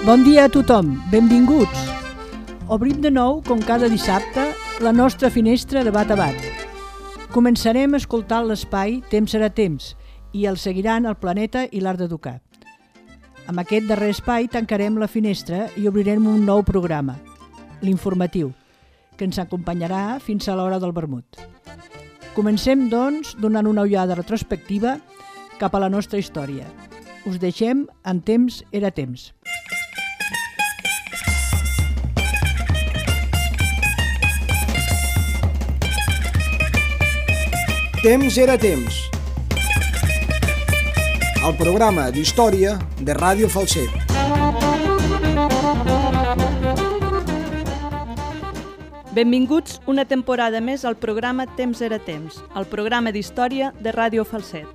Bon dia a tothom, benvinguts. Obrim de nou, com cada dissabte, la nostra finestra de bat a bat. Començarem escoltant l'espai Temps serà temps i el seguiran el Planeta i l'Art d'Educar. Amb aquest darrer espai tancarem la finestra i obrirem un nou programa, l'informatiu, que ens acompanyarà fins a l'hora del vermut. Comencem, doncs, donant una ullada retrospectiva cap a la nostra història. Us deixem en Temps era temps. Temps era temps. El programa d'història de Ràdio Falset. Benvinguts una temporada més al programa Temps era temps, el programa d'història de Ràdio Falset.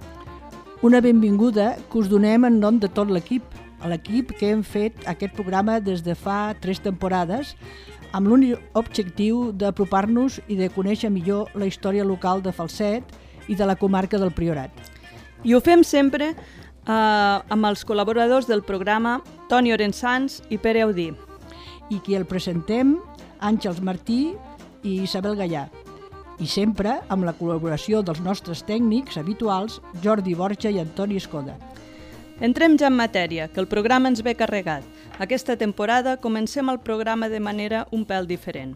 Una benvinguda que us donem en nom de tot l'equip que hem fet aquest programa des de fa 3 temporades, amb l'únic objectiu d'apropar-nos i de conèixer millor la història local de Falset i de la comarca del Priorat. I ho fem sempre amb els col·laboradors del programa, Toni Orensans i Pere Audí. I qui el presentem, Àngels Martí i Isabel Gallà. I sempre amb la col·laboració dels nostres tècnics habituals, Jordi Borja i Antoni Escoda. Entrem ja en matèria, que el programa ens ve carregat. Aquesta temporada comencem el programa de manera un pèl diferent.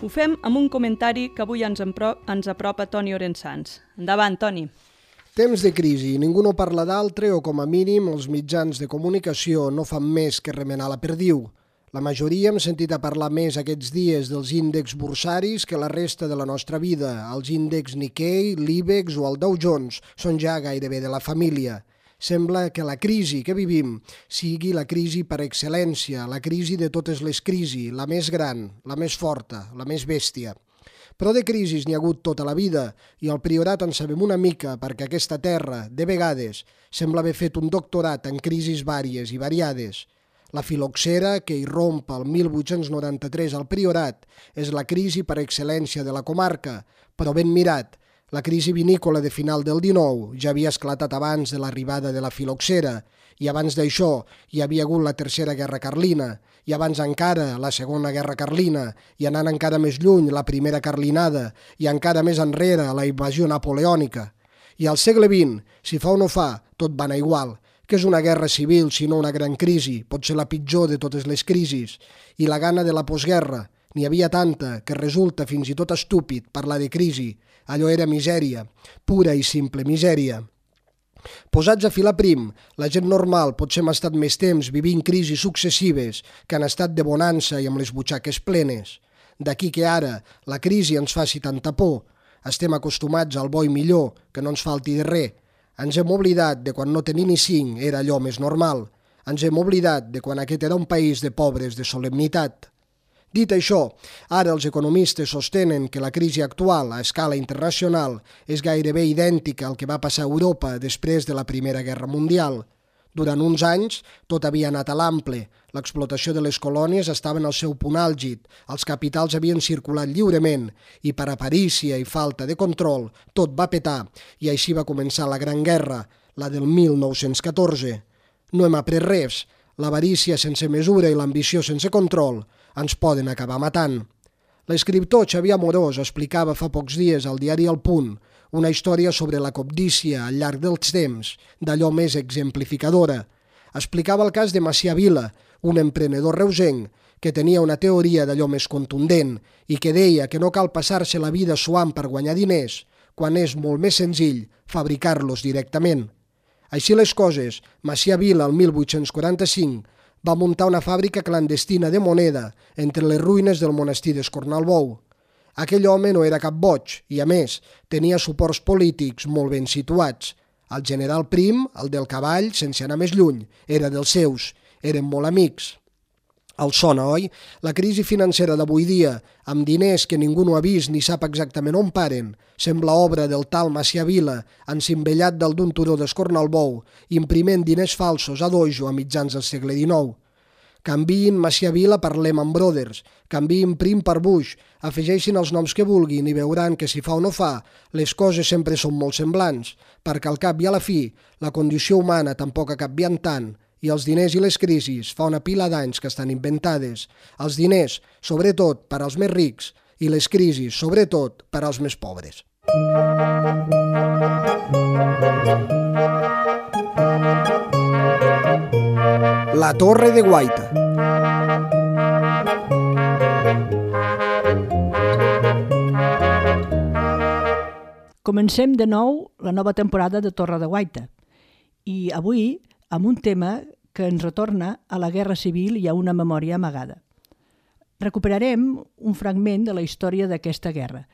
Ho fem amb un comentari que avui ens apropa Toni Orensans. Endavant, Toni. Temps de crisi, ningú no parla d'altre o com a mínim els mitjans de comunicació no fan més que remenar la perdiu. La majoria hem sentit a parlar més aquests dies dels índexs bursaris que la resta de la nostra vida. Els índexs Nikkei, l'IBEX o el Dow Jones són ja gairebé de la família. Sembla que la crisi que vivim sigui la crisi per excel·lència, la crisi de totes les crisis, la més gran, la més forta, la més bèstia. Però de crisis n'hi ha hagut tota la vida i al Priorat en sabem una mica perquè aquesta terra, de vegades, sembla haver fet un doctorat en crisis vàries i variades. La filoxera, que irromp el 1893 al Priorat, és la crisi per excel·lència de la comarca, però ben mirat. La crisi vinícola de final del XIX ja havia esclatat abans de l'arribada de la filoxera i abans d'això hi havia hagut la Tercera Guerra Carlina i abans encara la Segona Guerra Carlina i anant encara més lluny la Primera Carlinada i encara més enrere la invasió napoleònica. I al segle XX, si fa o no fa, tot va anar igual. Que és una guerra civil sinó una gran crisi, pot ser la pitjor de totes les crisis. I la gana de la postguerra, n'hi havia tanta que resulta fins i tot estúpid parlar de crisi. Allò era misèria, pura i simple misèria. Posats a filar prim, la gent normal potser hem estat més temps vivint crisis successives que han estat de bonança i amb les butxaques plenes. D'aquí que ara la crisi ens faci tanta por. Estem acostumats al bo i millor, que no ens falti de res. Ens hem oblidat de quan no tenir ni 5 era allò més normal. Ens hem oblidat de quan aquest era un país de pobres de solemnitat. Dit això, ara els economistes sostenen que la crisi actual a escala internacional és gairebé idèntica al que va passar a Europa després de la Primera Guerra Mundial. Durant uns anys tot havia anat a l'ample, l'explotació de les colònies estava en el seu punt àlgid, els capitals havien circulat lliurement i per aparícia i falta de control tot va petar i així va començar la Gran Guerra, la del 1914. No hem après res, l'avarícia sense mesura i l'ambició sense control ens poden acabar matant. L'escriptor Xavier Amorós explicava fa pocs dies al diari El Punt una història sobre la cobdícia al llarg dels temps, d'allò més exemplificadora. Explicava el cas de Macià Vila, un emprenedor reusenc que tenia una teoria d'allò més contundent i que deia que no cal passar-se la vida suant per guanyar diners, quan és molt més senzill fabricar-los directament. Així les coses, Macià Vila, el 1845, va muntar una fàbrica clandestina de moneda entre les ruïnes del monestir d'Escornalbou. Aquell home no era cap boig i, a més, tenia suports polítics molt ben situats. El general Prim, el del cavall, sense anar més lluny, era dels seus, eren molt amics. El sona, oi? La crisi financera d'avui dia, amb diners que ningú no ha vist ni sap exactament on paren, sembla obra del tal Macià Vila, encimbellat dalt d'un turó d'Escornalbou, imprimint diners falsos a dojo a mitjans del segle XIX. Canviïn Macià Vila per Lehman Brothers, canviïn Prim per Bush, afegeixin els noms que vulguin i veuran que si fa o no fa, les coses sempre són molt semblants, perquè al cap i a la fi, la condició humana tampoc ha canviat tant I els diners i les crisis fa una pila d'anys que estan inventades. Els diners, sobretot per als més rics, i les crisis, sobretot per als més pobres. La Torre de Guaita. Comencem de nou la nova temporada de Torre de Guaita i avui amb un tema que ens retorna a la Guerra Civil i a una memòria amagada. Recuperarem un fragment de la història d'aquesta guerra.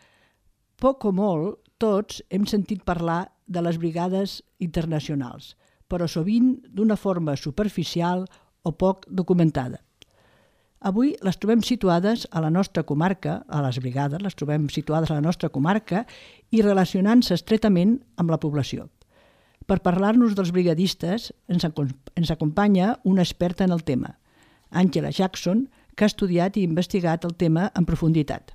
Poc o molt, tots hem sentit parlar de les brigades internacionals, però sovint d'una forma superficial o poc documentada. Avui les trobem situades a la nostra comarca, a les brigades, les trobem situades a la nostra comarca i relacionant-se estretament amb la població. Per parlar-nos dels brigadistes ens acompanya una experta en el tema, Àngela Jackson, que ha estudiat i investigat el tema en profunditat.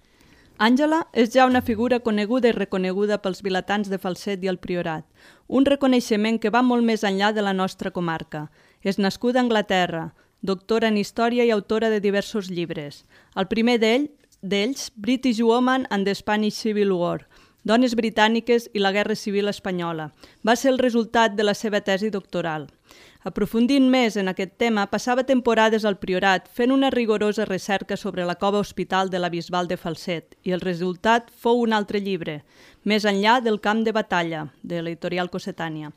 Àngela és ja una figura coneguda i reconeguda pels vilatans de Falset i el Priorat, un reconeixement que va molt més enllà de la nostra comarca. És nascuda a Anglaterra, doctora en història i autora de diversos llibres. El primer d'ells, British Woman and the Spanish Civil War, Dones britàniques i la Guerra Civil espanyola. Va ser el resultat de la seva tesi doctoral. Aprofundint més en aquest tema, passava temporades al Priorat fent una rigorosa recerca sobre la cova hospital de la Bisbal de Falset i el resultat fou un altre llibre, Més enllà del camp de batalla, de l'editorial Cossetània.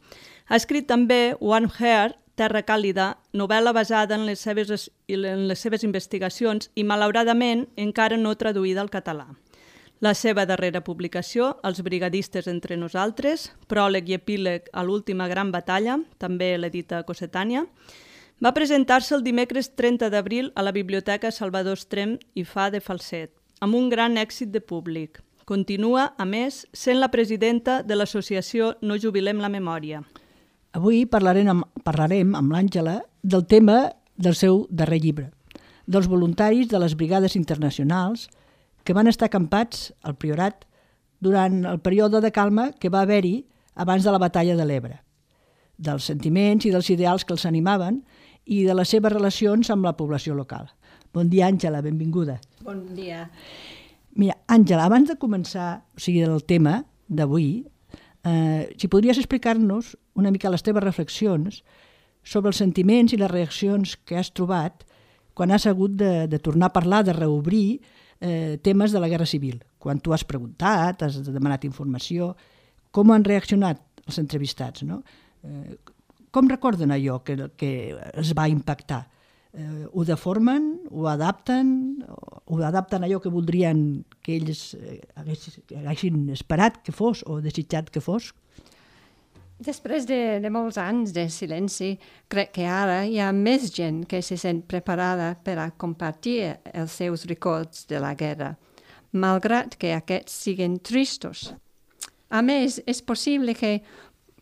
Ha escrit també One Heart, Terra càlida, novel·la basada en les seves investigacions i, malauradament, encara no traduïda al català. La seva darrera publicació, Els brigadistes entre nosaltres, pròleg i epíleg a l'última gran batalla, també l'edita Cossetània, va presentar-se el dimecres 30 d'abril a la Biblioteca Salvador Estrem i Fa de Falset, amb un gran èxit de públic. Continua, a més, sent la presidenta de l'associació No jubilem la memòria. Avui parlarem amb l'Àngela del tema del seu darrer llibre, dels voluntaris de les brigades internacionals que van estar acampats al Priorat durant el període de calma que va haver-hi abans de la batalla de l'Ebre, dels sentiments i dels ideals que els animaven i de les seves relacions amb la població local. Bon dia, Àngela, benvinguda. Bon dia. Mira, Àngela, abans de començar, el tema d'avui, si podries explicar-nos una mica les teves reflexions sobre els sentiments i les reaccions que has trobat quan has hagut de tornar a parlar, de reobrir temes de la Guerra Civil. Quan tu has preguntat, has demanat informació, com han reaccionat els entrevistats, no? Com recorden allò que es va impactar? Ho deformen? Ho adapten? Ho adapten allò que voldrien que ells haguessin esperat que fos o desitjat que fos? Després de molts anys de silenci, crec que ara hi ha més gent que se sent preparada per a compartir els seus records de la guerra, malgrat que aquests siguin tristos. A més, és possible que,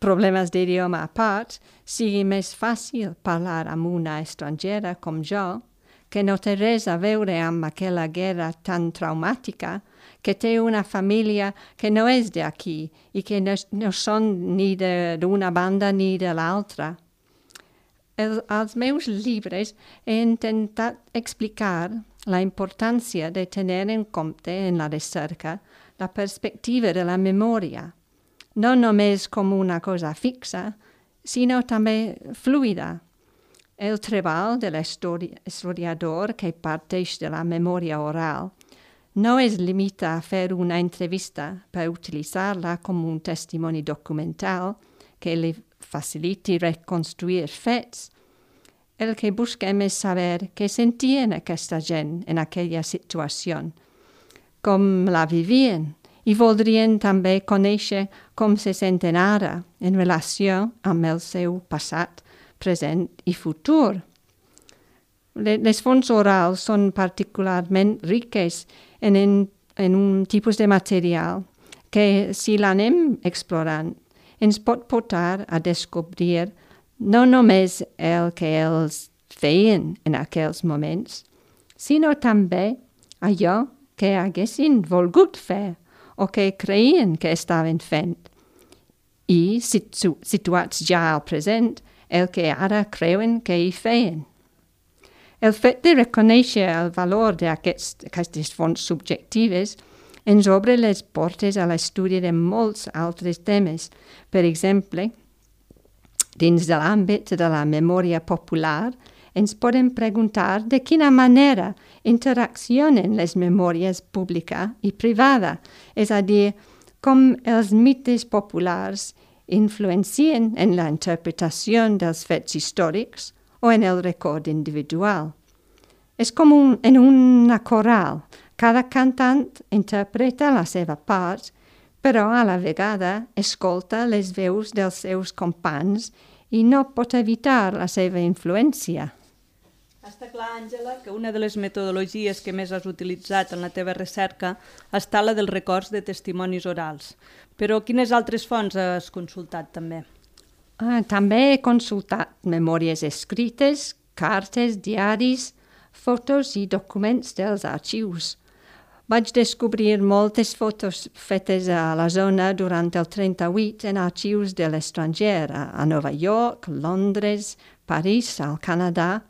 problemes d'idioma a part, sigui més fàcil parlar amb una estrangera com jo, que no té res a veure amb aquella guerra tan traumàtica, que té una família que no és d'aquí i que no són ni d'una banda ni de l'altra. Als meus llibres he intentat explicar la importància de tenir en compte en la recerca la perspectiva de la memòria, no només com una cosa fixa, sinó també fluida. El treball de l'historiador que parteix de la memòria oral no es limita a fer una entrevista per utilitzar-la com un testimoni documental que li faciliti reconstruir fets. El que busquem és saber què sentien aquesta gent en aquella situació, com la vivien, i voldrien també conèixer com se senten ara en relació amb el seu passat, present i futur. Les fonts orals són particularment riques en un tipus de material que, si l'anem explorant, ens pot portar a descobrir no només el que els feien en aquells moments, sinó també allò que haguessin volgut fer o que creien que estaven fent. I, situats ja al present, el que ara creuen que hi feien. El fet de reconèixer el valor d'aquestes fonts subjectives ens obre les portes a l'estudi de molts altres temes. Per exemple, dins de l'àmbit de la memòria popular, ens podem preguntar de quina manera interaccionen les memòries pública i privada, és a dir, com els mites populars influencien en la interpretació dels fets històrics o en el record individual. És com en una coral. Cada cantant interpreta la seva part, però a la vegada escolta les veus dels seus companys i no pot evitar la seva influència. Està clar, Àngela, que una de les metodologies que més has utilitzat en la teva recerca està la dels records de testimonis orals. Però quines altres fonts has consultat també? També he consultat memòries escrites, cartes, diaris, fotos i documents dels arxius. Vaig descobrir moltes fotos fetes a la zona durant el 38 en arxius de l'estranger, a Nova York, Londres, París, al Canadà.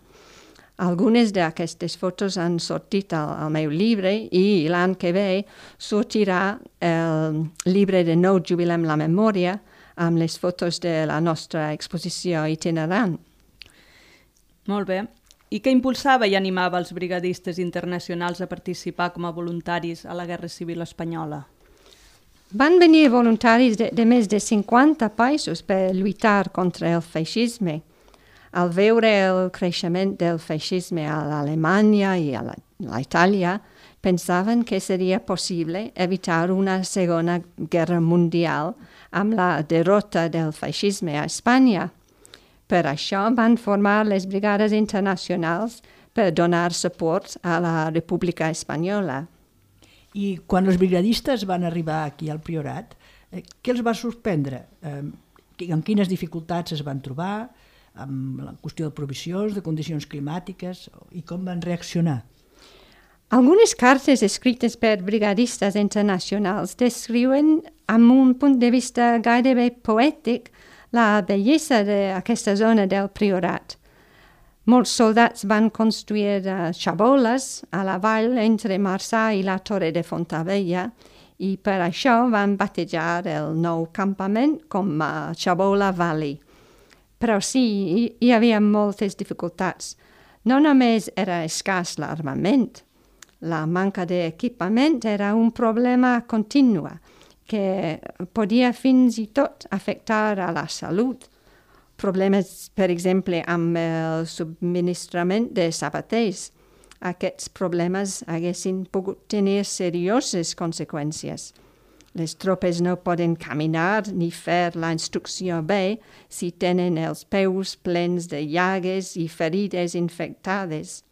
Algunes d'aquestes fotos han sortit al meu llibre i l'any que ve sortirà el llibre de Nou Jubilem la Memòria amb les fotos de la nostra exposició itinerant. Molt bé. I què impulsava i animava els brigadistes internacionals a participar com a voluntaris a la Guerra Civil Espanyola? Van venir voluntaris de més de 50 països per lluitar contra el feixisme. Al veure el creixement del feixisme a l'Alemanya i a l'Itàlia, pensaven que seria possible evitar una segona guerra mundial amb la derrota del feixisme a Espanya. Per això van formar les brigades internacionals per donar suport a la República Espanyola. I quan els brigadistes van arribar aquí al Priorat, què els va sorprendre? Amb quines dificultats es van trobar? Amb la qüestió de provisions, de condicions climàtiques, i com van reaccionar? Algunes cartes escrites per brigadistes internacionals descriuen amb un punt de vista gairebé poètic la bellesa d'aquesta zona del Priorat. Molts soldats van construir xaboles a la vall entre Marçà i la Torre de Fontavella i per això van batejar el nou campament com a Xabola Valley. Però sí, hi havia moltes dificultats. No només era escàs l'armament, la manca d'equipament era un problema continu que podia fins i tot afectar a la salut. Problemes, per exemple, amb el subministrament de sabaters. Aquests problemes haguessin pogut tenir serioses conseqüències. Les tropes no poden caminar ni fer la instrucció bé si tenen els peus plens de llagues i ferides infectades.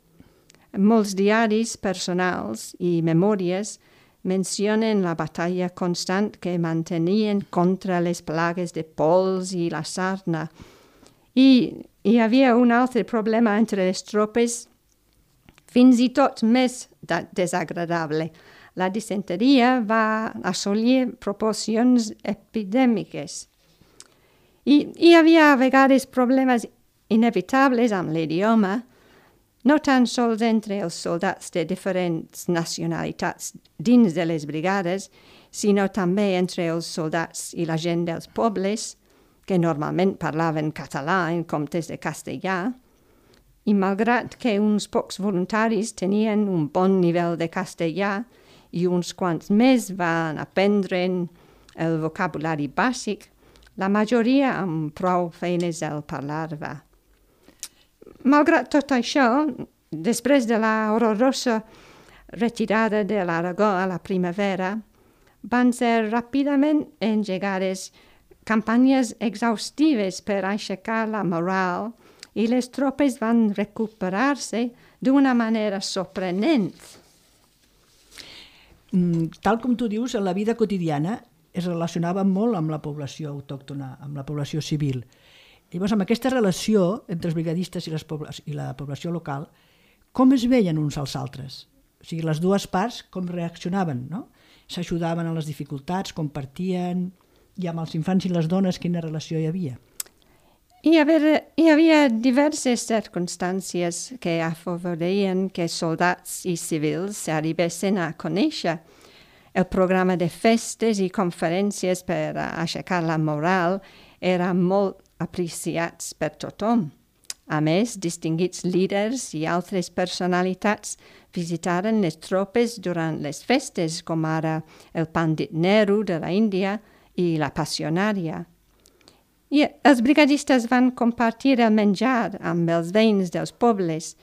Molts diaris personals i memòries mencionen la batalla constant que mantenien contra les plagues de pols i la sarna. I hi havia un altre problema entre les tropes, fins i tot més desagradable. La disenteria va assolir proporcions epidèmiques. I hi havia a vegades problemes inevitables amb l'idioma, no tan sols entre els soldats de diferents nacionalitats dins de les brigades, sinó també entre els soldats i la gent dels pobles, que normalment parlaven català en comptes de castellà, i malgrat que uns pocs voluntaris tenien un bon nivell de castellà i uns quants més van aprendre el vocabulari bàsic, la majoria amb prou feines el parlava. Malgrat tot això, després de la horrorosa retirada de l'Aragó a la primavera, van ser ràpidament engegades campanyes exhaustives per aixecar la moral i les tropes van recuperar-se d'una manera sorprenent. Tal com tu dius, en la vida quotidiana es relacionava molt amb la població autòctona, amb la població civil. Llavors, amb aquesta relació entre els brigadistes i la població local, com es veien uns als altres? O sigui, les dues parts com reaccionaven, no? S'ajudaven a les dificultats, compartien, i amb els infants i les dones quina relació hi havia? Hi havia diverses circumstàncies que afavorien que soldats i civils s'arribessin a conèixer. El programa de festes i conferències per aixecar la moral era molt apreciats per tothom. A més, distinguits líders i altres personalitats visitaren les tropes durant les festes, com ara el Pandit Nehru de la Índia i la Passionària. I els brigadistes van compartir el menjar amb els veïns dels pobles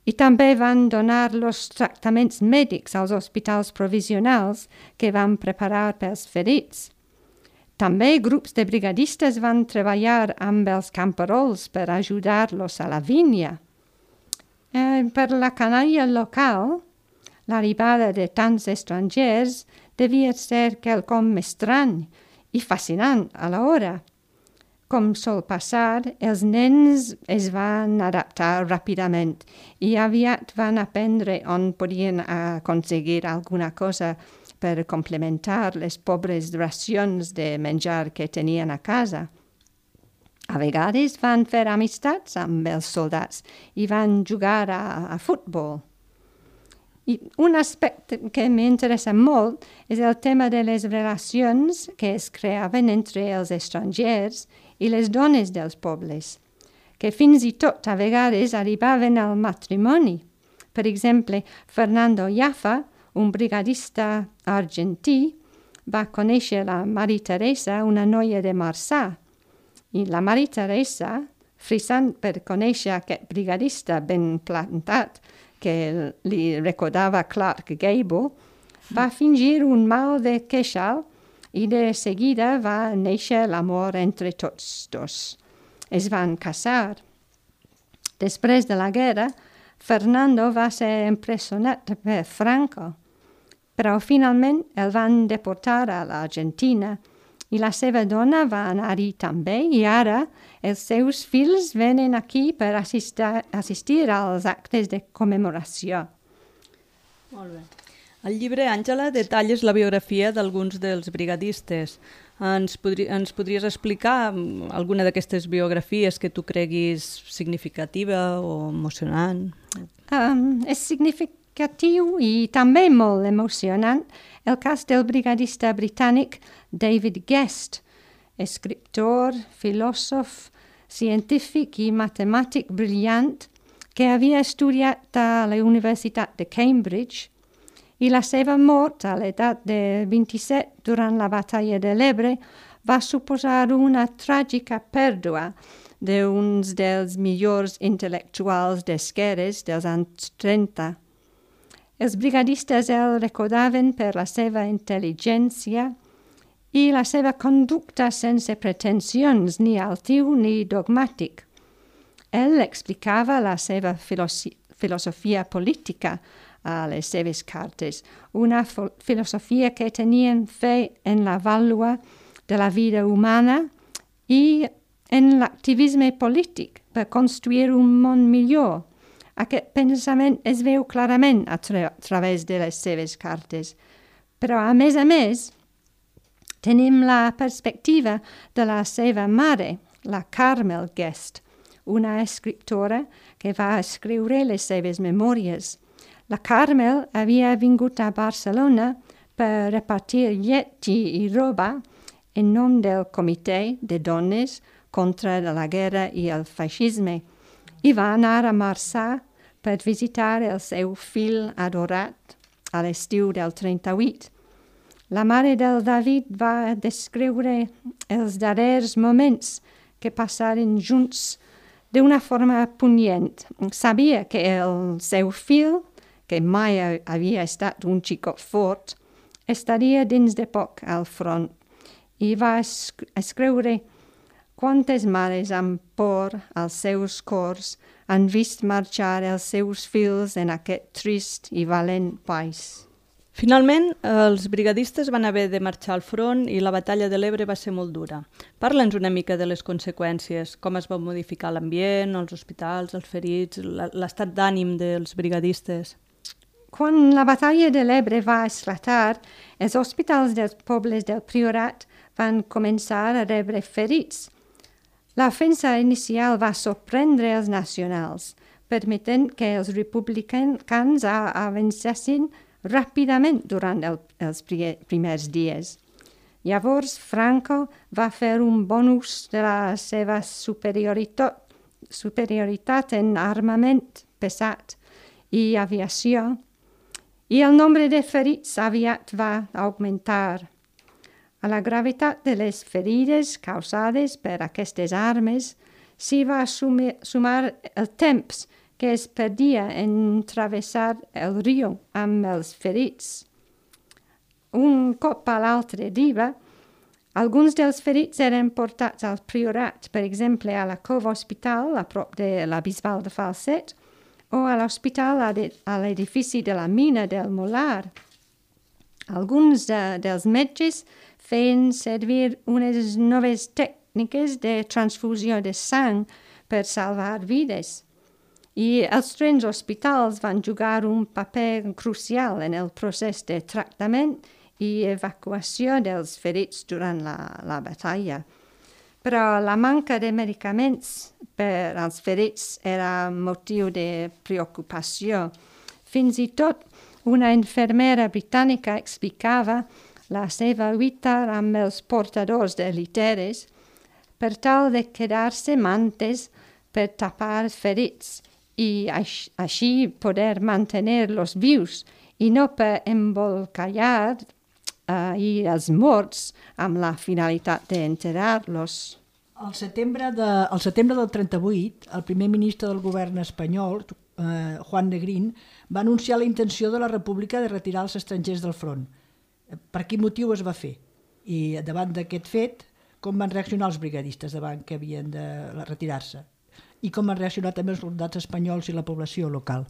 i també van donar los tractaments mèdics als hospitals provisionals que van preparar pels ferits. També grups de brigadistes van treballar amb els camperols per ajudar-los a la vinya. Per la canalla local, l'arribada de tants estrangers devia ser quelcom estrany i fascinant a l'hora. Com sol passar, els nens es van adaptar ràpidament i aviat van aprendre on podien aconseguir alguna cosa per complementar les pobres racions de menjar que tenien a casa. A vegades van fer amistats amb els soldats i van jugar a futbol. I un aspecte que m'interessa molt és el tema de les relacions que es creaven entre els estrangers i les dones dels pobles, que fins i tot a vegades arribaven al matrimoni. Per exemple, Fernando Jaffa, un brigadista argentí, va conèixer la Maria Teresa, una noia de Marçà. I la Maria Teresa, frisant per conèixer aquest brigadista ben plantat, que li recordava Clark Gable, va fingir un mal de queixal i de seguida va néixer l'amor entre tots dos. Es van casar. Després de la guerra, Fernando va ser empresonat per Franco, però finalment el van deportar a l'Argentina i la seva dona va anar-hi també i ara els seus fills venen aquí per assistir als actes de commemoració. Molt bé. Al llibre, Àngela, detalles la biografia d'alguns dels brigadistes. Ens podries explicar alguna d'aquestes biografies que tu creguis significativa o emocionant? És significatiu i també molt emocionant el cas del brigadista britànic David Guest, escriptor, filòsof, científic i matemàtic brillant que havia estudiat a la Universitat de Cambridge i la seva mort a l'edat de 27 durant la batalla de l'Ebre va suposar una tràgica pèrdua d'uns dels millors intel·lectuals d'esquerres dels anys 30. Els brigadistes el recordaven per la seva intel·ligència i la seva conducta sense pretensions ni altiu ni dogmàtic. Ell explicava la seva filosofia política a les seves cartes, una filosofia que tenien fe en la vàlua de la vida humana i en l'activisme polític per construir un món millor. Aquest pensament es veu clarament a través de les seves cartes. Però, a més, tenim la perspectiva de la seva mare, la Carmel Guest, una escriptora que va escriure les seves memòries. La Carmel havia vingut a Barcelona per repartir llet i roba en nom del Comitè de Dones contra la guerra i el feixisme i va anar a Marçà per visitar el seu fill adorat a l'estiu del 38. La mare del David va descriure els darrers moments que passaren junts d'una forma punyent. Sabia que el seu fill, que mai havia estat un xicot fort, estaria dins de poc al front i va escriure quantes mares amb por als seus cors han vist marxar els seus fills en aquest trist i valent país. Finalment, els brigadistes van haver de marxar al front i la batalla de l'Ebre va ser molt dura. Parla'ns una mica de les conseqüències, com es va modificar l'ambient, els hospitals, els ferits, l'estat d'ànim dels brigadistes. Quan la batalla de l'Ebre va esclatar, els hospitals dels pobles del Priorat van començar a rebre ferits. La ofensa inicial va sorprendre els nacionals, permetent que els republicans avancessin ràpidament durant els primers dies. Llavors, Franco va fer un bon ús de la seva superioritat en armament pesat i aviació, i el nombre de ferits aviat va augmentar. A la gravetat de les ferides causades per aquestes armes s'hi va sumar el temps que es perdia en travessar el riu amb els ferits. Un cop a l'altre dia, alguns dels ferits eren portats al priorat, per exemple a la Cova Hospital, a prop de la Bisbal de Falset, o a l'hospital a l'edifici de la mina del Molar. Alguns dels metges feien servir unes noves tècniques de transfusió de sang per salvar vides. I els trens hospitals van jugar un paper crucial en el procés de tractament i evacuació dels ferits durant la batalla. Però la manca de medicaments per als ferits era motiu de preocupació. Fins i tot una infermera britànica explicava la seva lluita amb els portadors de literes per tal de quedar-se mantes per tapar ferits i així poder mantenir-los vius i no per embolcallar i els morts amb la finalitat d'enterrar-los. Al setembre del 38, el primer ministre del govern espanyol, Juan Negrín, va anunciar la intenció de la República de retirar els estrangers del front. Per quin motiu es va fer? I davant d'aquest fet, com van reaccionar els brigadistes davant que havien de retirar-se? I com van reaccionar també els soldats espanyols i la població local?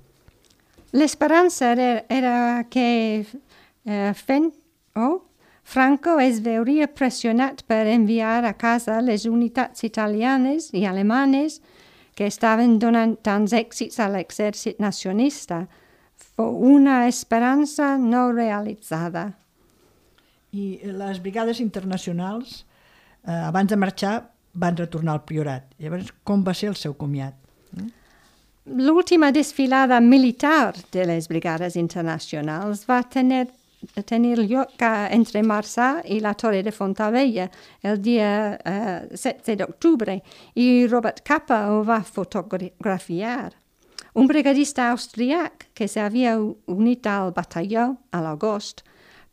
L'esperança era que Franco es veuria pressionat per enviar a casa les unitats italianes i alemanes que estaven donant tants èxits a l'exèrcit nacionalista. Fou una esperança no realitzada. I les brigades internacionals, abans de marxar, van retornar al priorat. Llavors, com va ser el seu comiat? L'última desfilada militar de les brigades internacionals va tenir lloc entre Marçà i la Torre de Fontavella el dia 7 d'octubre i Robert Capa ho va fotografiar. Un brigadista austríac que s'havia unit al batalló a l'agost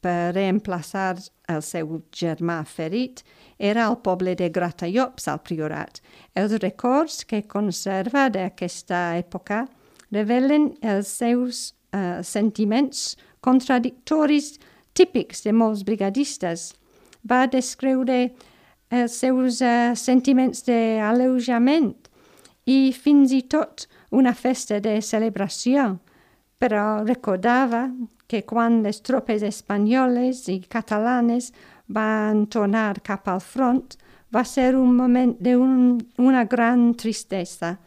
per reemplaçar el seu germà ferit era al poble de Gratallops al Priorat. Els records que conserva d'aquesta època revelen els seus sentiments contradictoris típics de molts brigadistes. Va descriure els seus sentiments d'alleujament i fins i tot una festa de celebració, però recordava que quan les tropes espanyoles i catalanes van tornar cap al front va ser un moment d'una gran tristesa.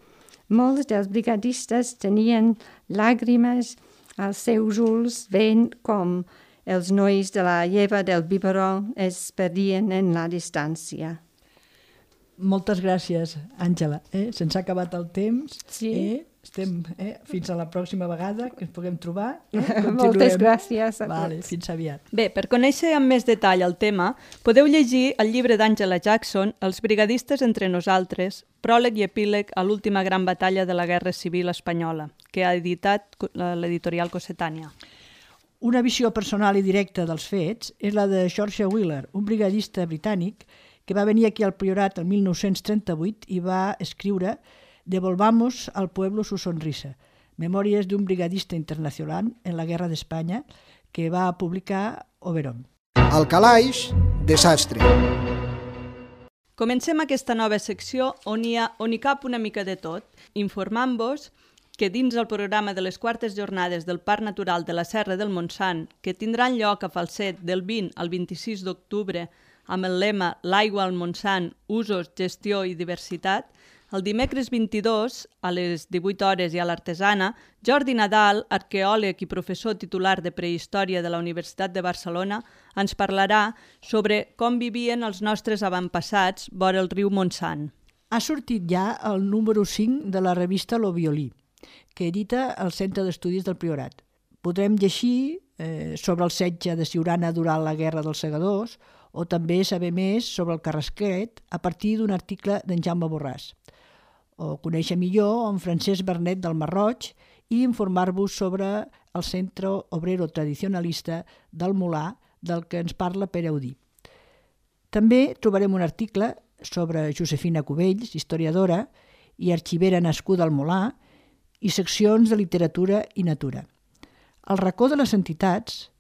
Molts dels brigadistes tenien làgrimes als seus ulls veient com els nois de la lleva del biberó es perdien en la distància. Moltes gràcies, Àngela. Se'ns ha acabat el temps. Sí. Estem fins a la pròxima vegada que ens puguem trobar. Moltes gràcies a tots. Fins aviat. Bé, per conèixer amb més detall el tema, podeu llegir el llibre d'Àngela Jackson, Els brigadistes entre nosaltres, pròleg i epíleg a l'última gran batalla de la Guerra Civil Espanyola, que ha editat l'editorial Cossetània. Una visió personal i directa dels fets és la de George Wheeler, un brigadista britànic que va venir aquí al Priorat el 1938 i va escriure Devolvamos al pueblo su sonrisa, memòries d'un brigadista internacional en la Guerra d'Espanya que va publicar Oberon. Al calaix, desastre. Comencem aquesta nova secció on hi cap una mica de tot, informant-vos que dins el programa de les quartes jornades del Parc Natural de la Serra del Montsant, que tindran lloc a Falset del 20 al 26 d'octubre amb el lema L'aigua al Montsant, usos, gestió i diversitat, el dimecres 22, a les 18 hores i a l'Artesana, Jordi Nadal, arqueòleg i professor titular de Prehistòria de la Universitat de Barcelona, ens parlarà sobre com vivien els nostres avantpassats vora el riu Montsant. Ha sortit ja el número 5 de la revista Lo Violí, que edita el Centre d'Estudis del Priorat. Podrem llegir sobre el setge de Siurana durant la Guerra dels Segadors o també saber més sobre el Carrasquet a partir d'un article d'en Jaume Borràs. O conèixer millor en Francesc Bernet del Marroig i informar-vos sobre el Centre Obrero Tradicionalista del Molar, del que ens parla Pere Audí. També trobarem un article sobre Josefina Cubells, historiadora i arxivera nascuda al Molar, i seccions de literatura i natura. Al racó de les entitats,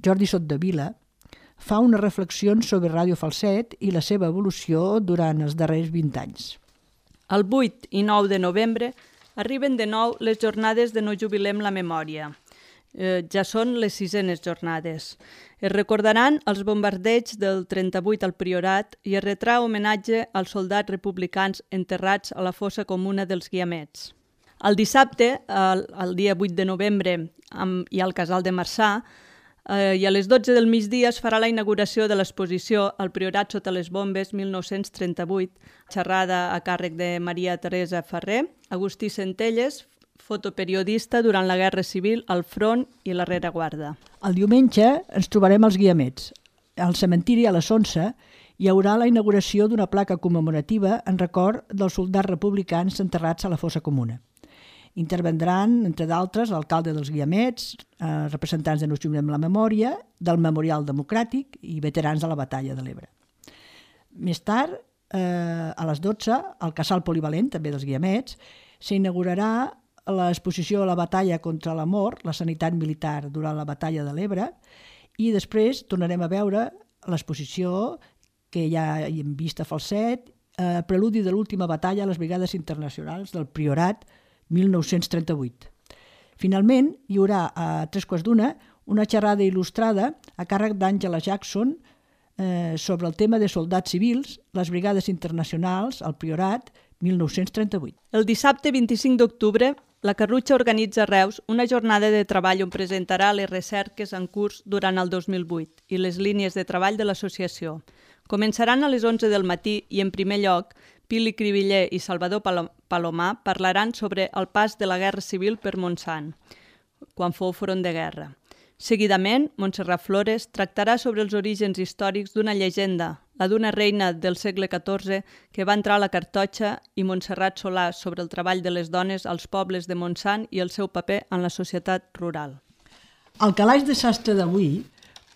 Jordi Sottavila fa unes reflexions sobre Ràdio Falset i la seva evolució durant els darrers 20 anys. El 8 i 9 de novembre arriben de nou les jornades de No jubilem la memòria. Ja són les 6enes jornades. Es recordaran els bombardeigs del 38 al Priorat i es retrà homenatge als soldats republicans enterrats a la fossa comuna dels Guiamets. El dissabte, el dia 8 de novembre, i al Casal de Marçà, i a les 12 del migdia es farà la inauguració de l'exposició El Priorat sota les bombes 1938, xerrada a càrrec de Maria Teresa Ferrer, Agustí Centelles, fotoperiodista durant la Guerra Civil, al front i la rereguarda. El diumenge ens trobarem als Guiamets. Al cementiri a les 11 hi haurà la inauguració d'una placa commemorativa en record dels soldats republicans enterrats a la fossa comuna. Intervendran, entre d'altres, l'alcalde dels Guiamets, representants de No jubilem la memòria, del Memorial Democràtic i veterans de la Batalla de l'Ebre. Més tard, a les 12, al Casal Polivalent, també dels Guiamets, s'inaugurarà l'exposició a la batalla contra la mort, la sanitat militar durant la Batalla de l'Ebre, i després tornarem a veure l'exposició que ja hem vist a Falset, preludi de l'última batalla a les Brigades Internacionals del Priorat 1938. Finalment, hi haurà a 3:15 una xerrada il·lustrada a càrrec d'Àngela Jackson sobre el tema de soldats civils, les Brigades Internacionals al Priorat 1938. El dissabte 25 d'octubre, la Carrutxa organitza a Reus una jornada de treball on presentarà les recerques en curs durant el 2008 i les línies de treball de l'associació. Començaran a les 11 del matí i, en primer lloc, Pili Cribiller i Salvador Palomar parlaran sobre el pas de la Guerra Civil per Montsant, quan fou front de guerra. Seguidament, Montserrat Flores tractarà sobre els orígens històrics d'una llegenda, la d'una reina del segle XIV que va entrar a la Cartoixa, i Montserrat Solà sobre el treball de les dones als pobles de Montsant i el seu paper en la societat rural. Al Calaix de Sastre d'avui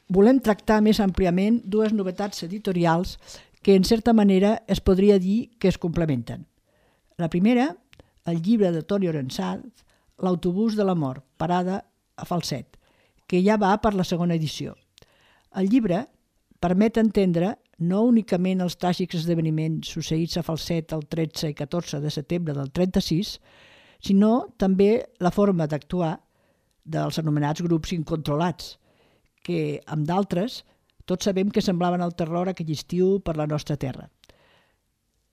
volem tractar més àmpliament dues novetats editorials que, en certa manera, es podria dir que es complementen. La primera, el llibre de Toni Orensanz, L'autobús de la mort, parada a Falset, que ja va per la segona edició. El llibre permet entendre no únicament els tràgics esdeveniments succeïts a Falset el 13 i 14 de setembre del 36, sinó també la forma d'actuar dels anomenats grups incontrolats, que, amb d'altres, tots sabem que semblaven el terror aquell estiu per la nostra terra.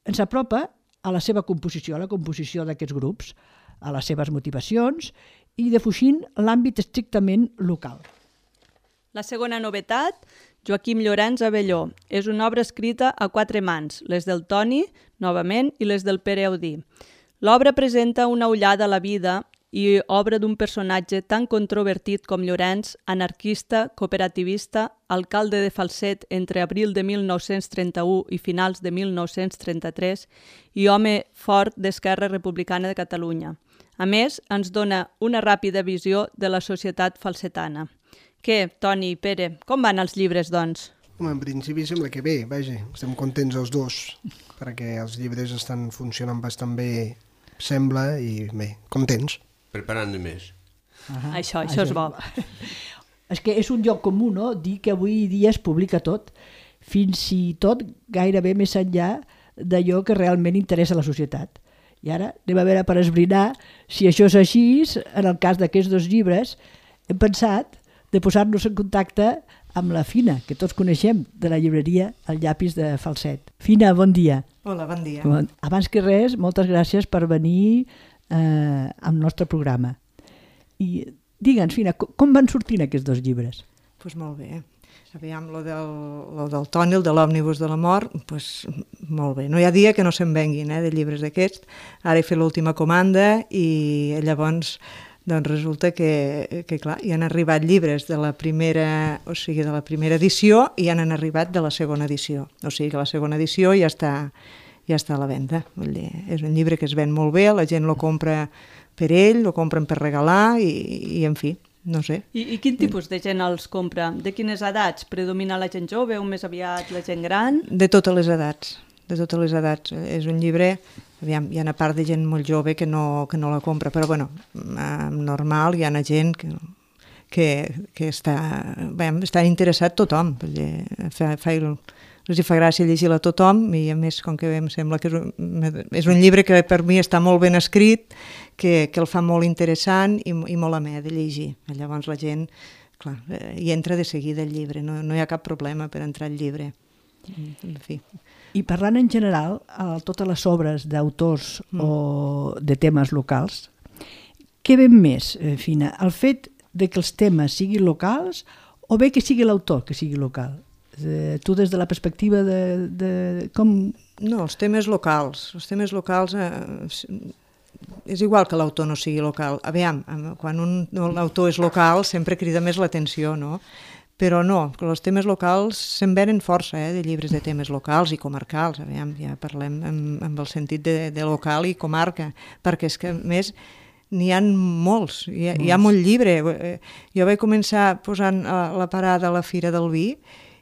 Ens apropa a la seva composició, a la composició d'aquests grups, a les seves motivacions i defugint l'àmbit estrictament local. La segona novetat, Joaquim Llorenç Abelló, és una obra escrita a 4 mans, les del Toni, novament, i les del Pere Audí. L'obra presenta una ullada a la vida i obra d'un personatge tan controvertit com Llorenç, anarquista, cooperativista, alcalde de Falset entre abril de 1931 i finals de 1933 i home fort d'Esquerra Republicana de Catalunya. A més, ens dona una ràpida visió de la societat falsetana. Què, Toni i Pere, com van els llibres, doncs? En principi sembla que bé, vaja, estem contents els dos, perquè els llibres estan funcionant bastant bé, sembla, i bé, contents. Preparant més. Això és bo. És que és un lloc comú, no?, dir que avui dia es publica tot, fins i tot gairebé més enllà d'allò que realment interessa a la societat. I ara anem a veure per esbrinar si això és així. En el cas d'aquests dos llibres hem pensat de posar-nos en contacte amb la Fina, que tots coneixem, de la llibreria El Llapis de Falset. Fina, bon dia. Hola, bon dia. Abans que res, moltes gràcies per venir al nostre programa. I digue'ns, Fina, com van sortint aquests dos llibres? Doncs molt bé. Aviam, lo del Toni, el de l'òmnibus de la mort, doncs molt bé. No hi ha dia que no se'n venguin, de llibres d'aquests. Ara he fet l'última comanda i llavors doncs resulta que clar, hi han arribat llibres de la primera, o sigui, de la primera edició i han arribat de la segona edició. O sigui que la segona edició ja està a la venda. Vull dir, és un llibre que es ven molt bé, la gent lo compra per ell, lo compren per regalar i en fi, no sé. I quin tipus de gent els compra? De quines edats? Predomina la gent jove o més aviat la gent gran? De totes les edats, de totes les edats. És un llibre, aviam, hi ha una part de gent molt jove que no la compra, però bueno, normal, hi ha gent que està interessat tothom. Els fa gràcia llegir-la a tothom i a més, com que em sembla que és un llibre que per mi està molt ben escrit, que el fa molt interessant i molt amè de llegir. Llavors la gent, clar, hi entra de seguida el llibre, no hi ha cap problema per entrar al llibre. En fi. I parlant en general, a totes les obres d'autors o de temes locals, què ven més, Fina? El fet de que els temes siguin locals o bé que sigui l'autor que sigui local? Tu des de la perspectiva de com... No, els temes locals és igual que l'autor no sigui local. Aviam, quan un autor és local sempre crida més l'atenció, no? Però no, els temes locals se'n venen força, de llibres de temes locals i comarcals. Aviam, ja parlem amb el sentit de local i comarca, perquè és que, a més, n'hi ha molts, hi ha molt llibre. Jo vaig començar posant la parada a la Fira del Vi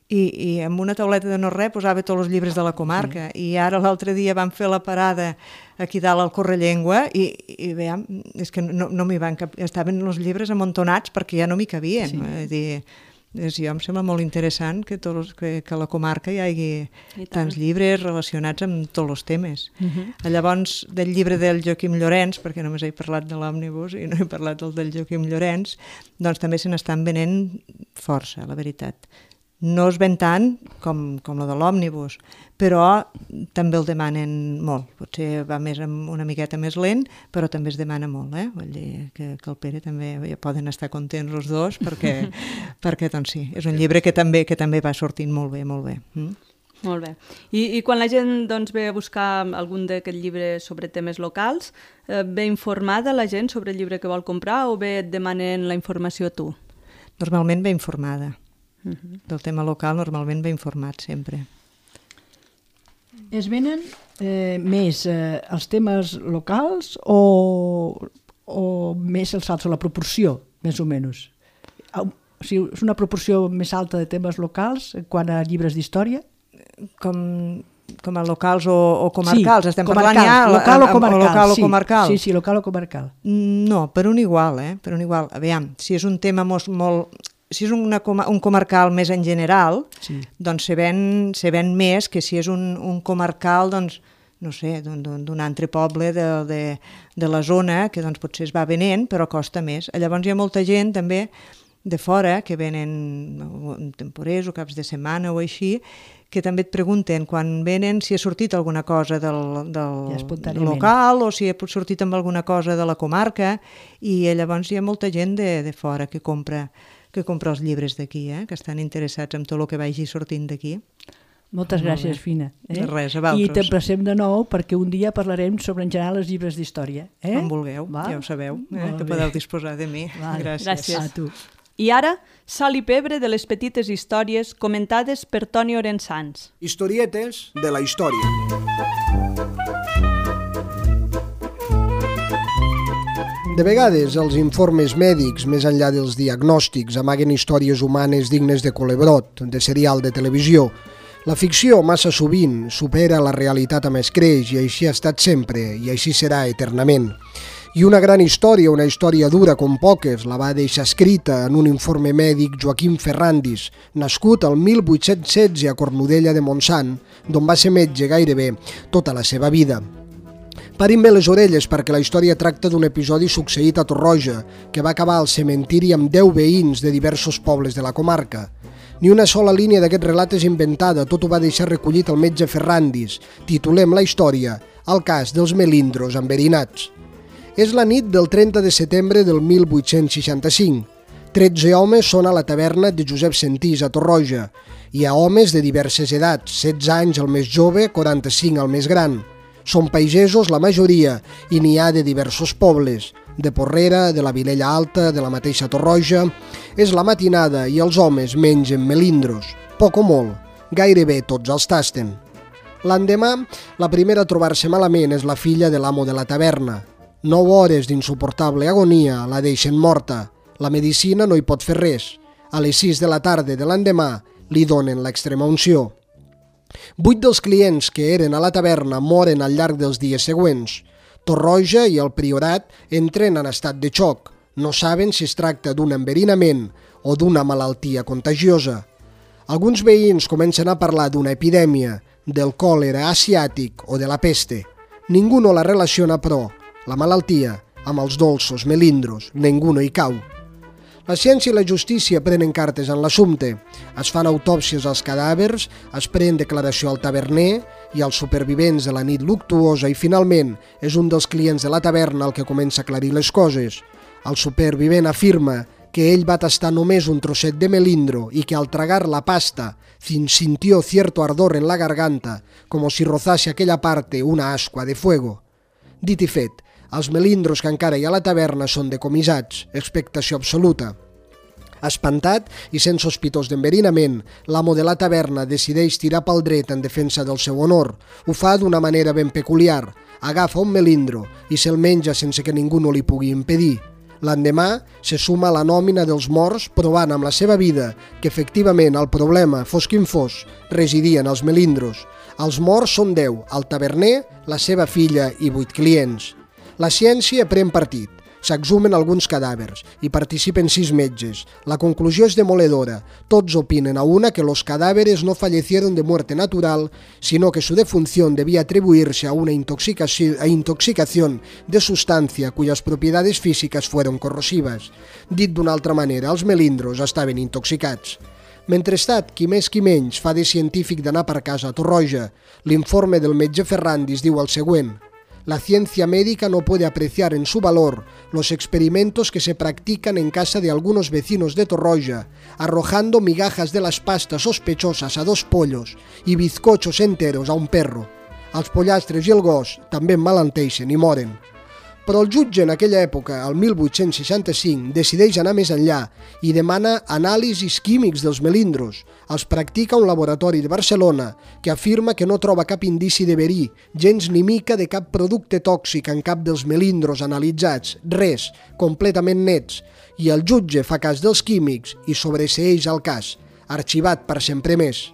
i amb una tauleta de no-res posava tots els llibres de la comarca i ara l'altre dia vam fer la parada aquí dalt al Correllengua i veiem, és que no m'hi van cap... Estaven els llibres amuntonats perquè ja no m'hi cabien. Jo em sembla molt interessant que a la comarca hi hagi tants llibres relacionats amb tots els temes. Llavors, del llibre del Joaquim Llorens, perquè només he parlat de l'òmnibus i no he parlat del Joaquim Llorens, doncs també se n'estan venent força, la veritat. No es ven tant com la de l'òmnibus, però també el demanen molt. Potser va una miqueta més lent, però també es demana molt. Vull dir que el Pere també poden estar contents els dos, perquè doncs sí, és un llibre que també va sortint molt bé, molt bé. Molt bé. I quan la gent doncs, ve a buscar algun d'aquests llibres sobre temes locals, ve informada la gent sobre el llibre que vol comprar o ve et demanen la informació a tu? Normalment ve informada. Del tema local normalment ve informat sempre. Es venen més els temes locals o més els altres, la proporció, més o menys? O sigui, és una proporció més alta de temes locals quant a llibres d'història? Com a locals o comarcals? Sí, estem parlant ja local o comarcal. Sí, local o comarcal. No, per un igual, per un igual. Aviam, si és un tema molt... Si és un comarcal més en general, doncs se ven més que si és un comarcal, doncs, no sé, d'un altre poble de la zona, que doncs potser es va venent, però costa més. Llavors hi ha molta gent també de fora que venen temporers o caps de setmana o així, que també et pregunten quan venen si ha sortit alguna cosa del local o si ha sortit amb alguna cosa de la comarca, i llavors hi ha molta gent de fora que compra els llibres d'aquí, que estan interessats en tot el que vagi sortint d'aquí. Moltes gràcies, Fina. Res, a vosaltres. I t'emplacem de nou perquè un dia parlarem sobre en general els llibres d'història. Com vulgueu, ja ho sabeu, que podeu disposar de mi. Gràcies. A tu. I ara, sal i pebre de les petites històries comentades per Toni Orensans. Historietes de la història. De vegades, els informes mèdics, més enllà dels diagnòstics, amaguen històries humanes dignes de culebrot, de serial de televisió. La ficció, massa sovint, supera la realitat amb escreix i així ha estat sempre i així serà eternament. I una gran història, una història dura com poques, la va deixar escrita en un informe mèdic Joaquim Ferrandis, nascut el 1816 a Cornudella de Montsant, d'on va ser metge gairebé tota la seva vida. Parin bé les orelles perquè la història tracta d'un episodi succeït a Torroja, que va acabar al cementiri amb 10 veïns de diversos pobles de la comarca. Ni una sola línia d'aquest relat és inventada, tot ho va deixar recollit el metge Ferrandis. Titulem la història El cas dels melindros enverinats. És la nit del 30 de setembre del 1865. 13 homes són a la taverna de Josep Sentís a Torroja. Hi ha homes de diverses edats, 16 anys el més jove, 45 el més gran. Són pagesos la majoria i n'hi ha de diversos pobles, de Porrera, de la Vilella Alta, de la mateixa Torroja. És la matinada i els homes mengen melindros, poc o molt, gairebé tots els tasten. L'endemà, la primera a trobar-se malament és la filla de l'amo de la taverna. 9 hores d'insuportable agonia la deixen morta. La medicina no hi pot fer res. A les 6 de la tarda de l'endemà li donen l'extrema unció. 8 dels clients que eren a la taverna moren al llarg dels dies següents. Torroja i el Priorat entren en estat de xoc. No saben si es tracta d'un enverinament o d'una malaltia contagiosa. Alguns veïns comencen a parlar d'una epidèmia, del còlera asiàtic o de la peste. Ningú no la relaciona, però, la malaltia, amb els dolços melindros. Ningú no hi cau. La ciència i la justícia prenen cartes en l'assumpte. Es fan autòpsies als cadàvers, es pren declaració al taverner i als supervivents de la nit luctuosa i finalment és un dels clients de la taverna el que comença a aclarir les coses. El supervivent afirma que ell va tastar només un trosset de melindro y que al tragar la pasta sintió cierto ardor en la garganta, como si rozase aquella parte una ascua de fuego. Dit i fet, els melindros que encara hi ha a la taverna són decomissats, expectació absoluta. Espantat i sent sospitós d'enverinament, l'amo de la taverna decideix tirar pel dret en defensa del seu honor. Ho fa d'una manera ben peculiar. Agafa un melindro i se'l menja sense que ningú no li pugui impedir. L'endemà se suma a la nòmina dels morts provant amb la seva vida que efectivament el problema, fos quin fos, residia en els melindros. Els morts són 10, el taverner, la seva filla i 8 clients. La ciència pren partit. S'exhumen alguns cadàvers. Hi participen 6 metges. La conclusió és demoledora. Tots opinen a una que los cadáveres no fallecieron de muerte natural, sino que su defunción debía atribuirse a una intoxicación de sustancia cuyas propiedades físicas fueron corrosivas. Dit d'una altra manera, els melindros estaven intoxicats. Mentrestant, qui més qui menys fa de científic d'anar per casa a Torroja. L'informe del metge Ferrandis diu el següent: la ciencia médica no puede apreciar en su valor los experimentos que se practican en casa de algunos vecinos de Torroja, arrojando migajas de las pastas sospechosas a 2 pollos y bizcochos enteros a un perro. Els pollastres i el gos també emmalenteixen i moren. Però el jutge en aquella època, el 1865, decideix anar més enllà i demana anàlisis químics dels melindros. Els practica un laboratori de Barcelona que afirma que no troba cap indici de verí, gens ni mica de cap producte tòxic en cap dels melindros analitzats, res, completament nets. I el jutge fa cas dels químics i sobreseeix el cas, arxivat per sempre més.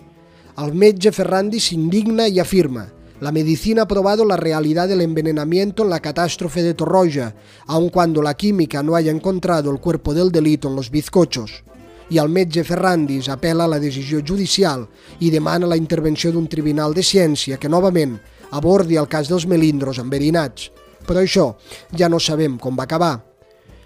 El metge Ferrandis s'indigna i afirma: la medicina ha probado la realidad del envenenamiento en la catástrofe de Torroja, aun cuando la química no haya encontrado el cuerpo del delito en los bizcochos. I el metge Ferrandis apela a la decisió judicial i demana la intervenció d'un tribunal de ciència que, novament, abordi el cas dels melindros enverinats. Però això ja no sabem com va acabar.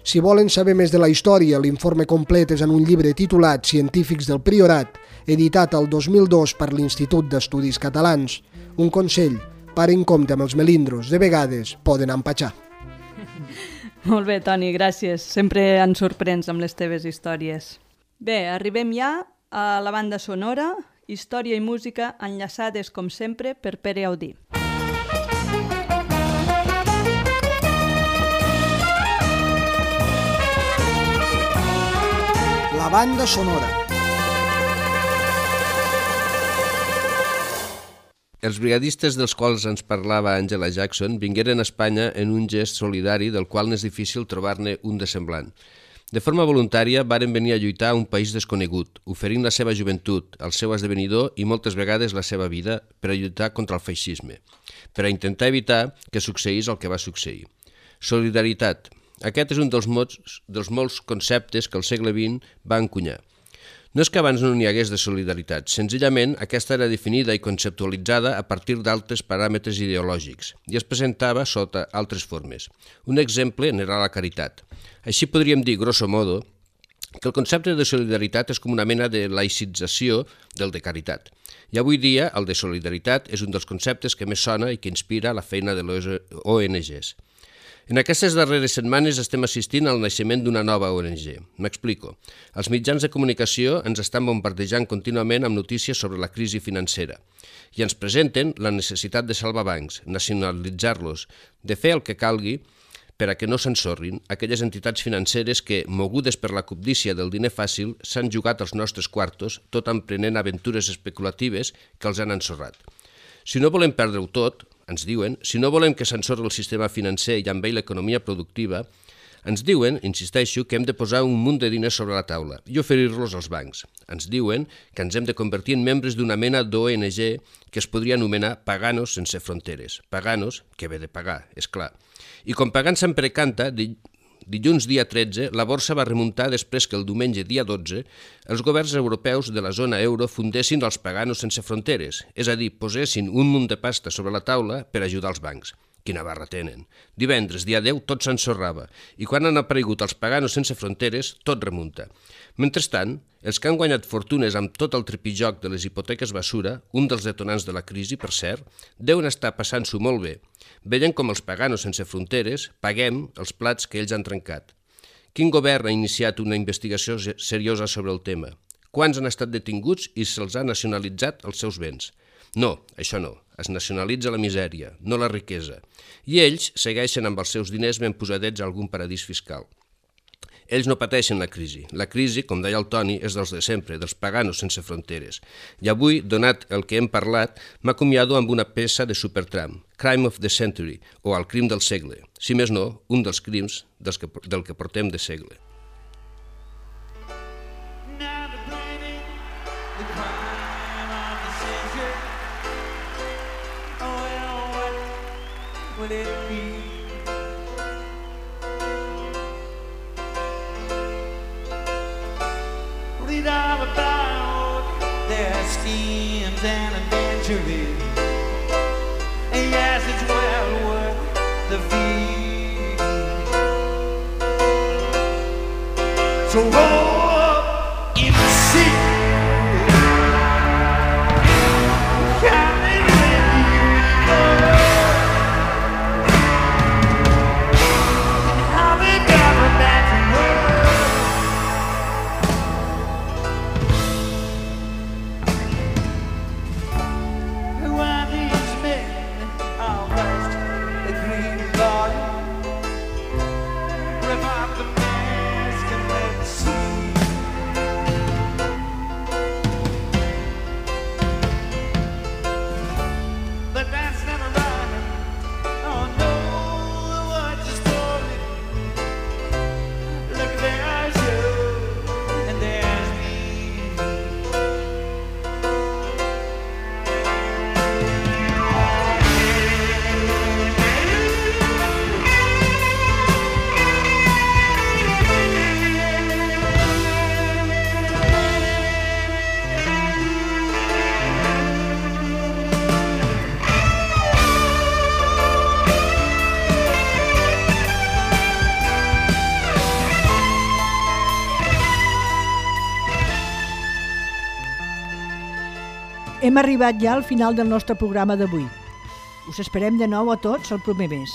Si volen saber més de la història, l'informe complet és en un llibre titulat Científics del Priorat, editat el 2002 per l'Institut d'Estudis Catalans. Un consell, paren compte amb els melindros, de vegades poden empatxar. Molt bé, Toni, gràcies. Sempre ens sorprens amb les teves històries. Bé, arribem ja a la banda sonora, història i música enllaçades, com sempre, per Pere Audí. La banda sonora. Els brigadistes dels quals ens parlava Angela Jackson vingueren a Espanya en un gest solidari del qual n'és difícil trobar-ne un de semblant. De forma voluntària varen venir a lluitar a un país desconegut, oferint la seva joventut, el seu esdevenidor i moltes vegades la seva vida per a lluitar contra el feixisme, per a intentar evitar que succeís el que va succeir. Solidaritat. Aquest és un dels molts conceptes que el segle XX va encunyar. No és que abans no n'hi hagués de solidaritat, senzillament aquesta era definida i conceptualitzada a partir d'altres paràmetres ideològics i es presentava sota altres formes. Un exemple n'era la caritat. Així podríem dir, grosso modo, que el concepte de solidaritat és com una mena de laïcització del de caritat. I avui dia el de solidaritat és un dels conceptes que més sona i que inspira la feina de les ONGs. En aquestes darreres setmanes estem assistint al naixement d'una nova ONG. M'explico. Els mitjans de comunicació ens estan bombardejant contínuament amb notícies sobre la crisi financera i ens presenten la necessitat de salvar bancs, nacionalitzar-los, de fer el que calgui per a que no s'ensorrin aquelles entitats financeres que, mogudes per la cobdícia del diner fàcil, s'han jugat als nostres quartos, tot emprenent aventures especulatives que els han ensorrat. Si no volem perdre-ho tot, ens diuen, si no volem que s'ensorri el sistema financer i amb ell l'economia productiva, ens diuen, insisteixo, que hem de posar un munt de diners sobre la taula i oferir-los als bancs. Ens diuen que ens hem de convertir en membres d'una mena d'ONG que es podria anomenar Paganos sense fronteres. Paganos, que ve de pagar, és clar. I com pagant sempre canta, dilluns dia 13, la borsa va remuntar després que el diumenge dia 12 els governs europeus de la zona euro fundessin els Paganos sense fronteres, és a dir, posessin un munt de pasta sobre la taula per ajudar els bancs. Quina barra tenen. Divendres, dia 10, tot s'ensorrava, i quan han aparegut els Paganos sense fronteres, tot remunta. Mentrestant, els que han guanyat fortunes amb tot el tripijoc de les hipoteques basura, un dels detonants de la crisi, per cert, deuen estar passant-s'ho molt bé, veient com els Paganos sense fronteres paguem els plats que ells han trencat. Quin govern ha iniciat una investigació seriosa sobre el tema? Quants han estat detinguts i se'ls ha nacionalitzat els seus béns? No, això no. Es nacionalitza la misèria, no la riquesa. I ells segueixen amb els seus diners ben posadets a algun paradís fiscal. Ells no pateixen la crisi. La crisi, com deia el Toni, és dels de sempre, dels Paganos sense fronteres. I avui, donat el que hem parlat, m'acomiado amb una peça de Supertramp, Crime of the Century, o El crim del segle. Si més no, un dels crims del que portem de segle. Would it be? Read all about their schemes and adventures, and yes, it's well worth the fee. So roll up in the sea. Hem arribat ja al final del nostre programa d'avui. Us esperem de nou a tots el proper mes.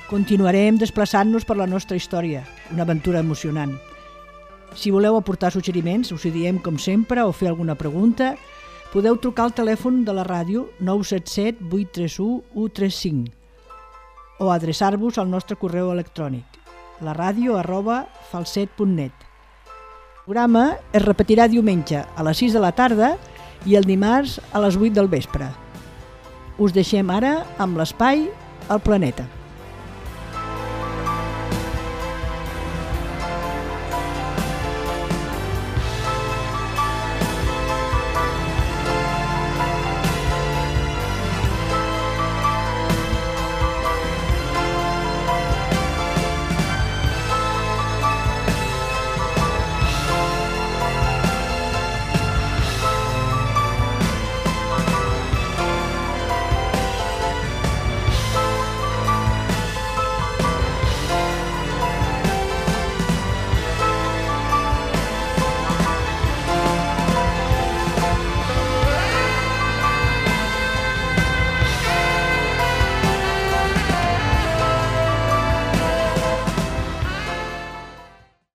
Continuarem desplaçant-nos per la nostra història, una aventura emocionant. Si voleu aportar suggeriments, us hi diem com sempre, o fer alguna pregunta, podeu trucar al telèfon de la ràdio 977 831 135 o adreçar-vos al nostre correu electrònic laradio@falset.net. El programa es repetirà diumenge a les 6 de la tarda i el dimarts a les 8 del vespre. Us deixem ara amb l'espai al planeta.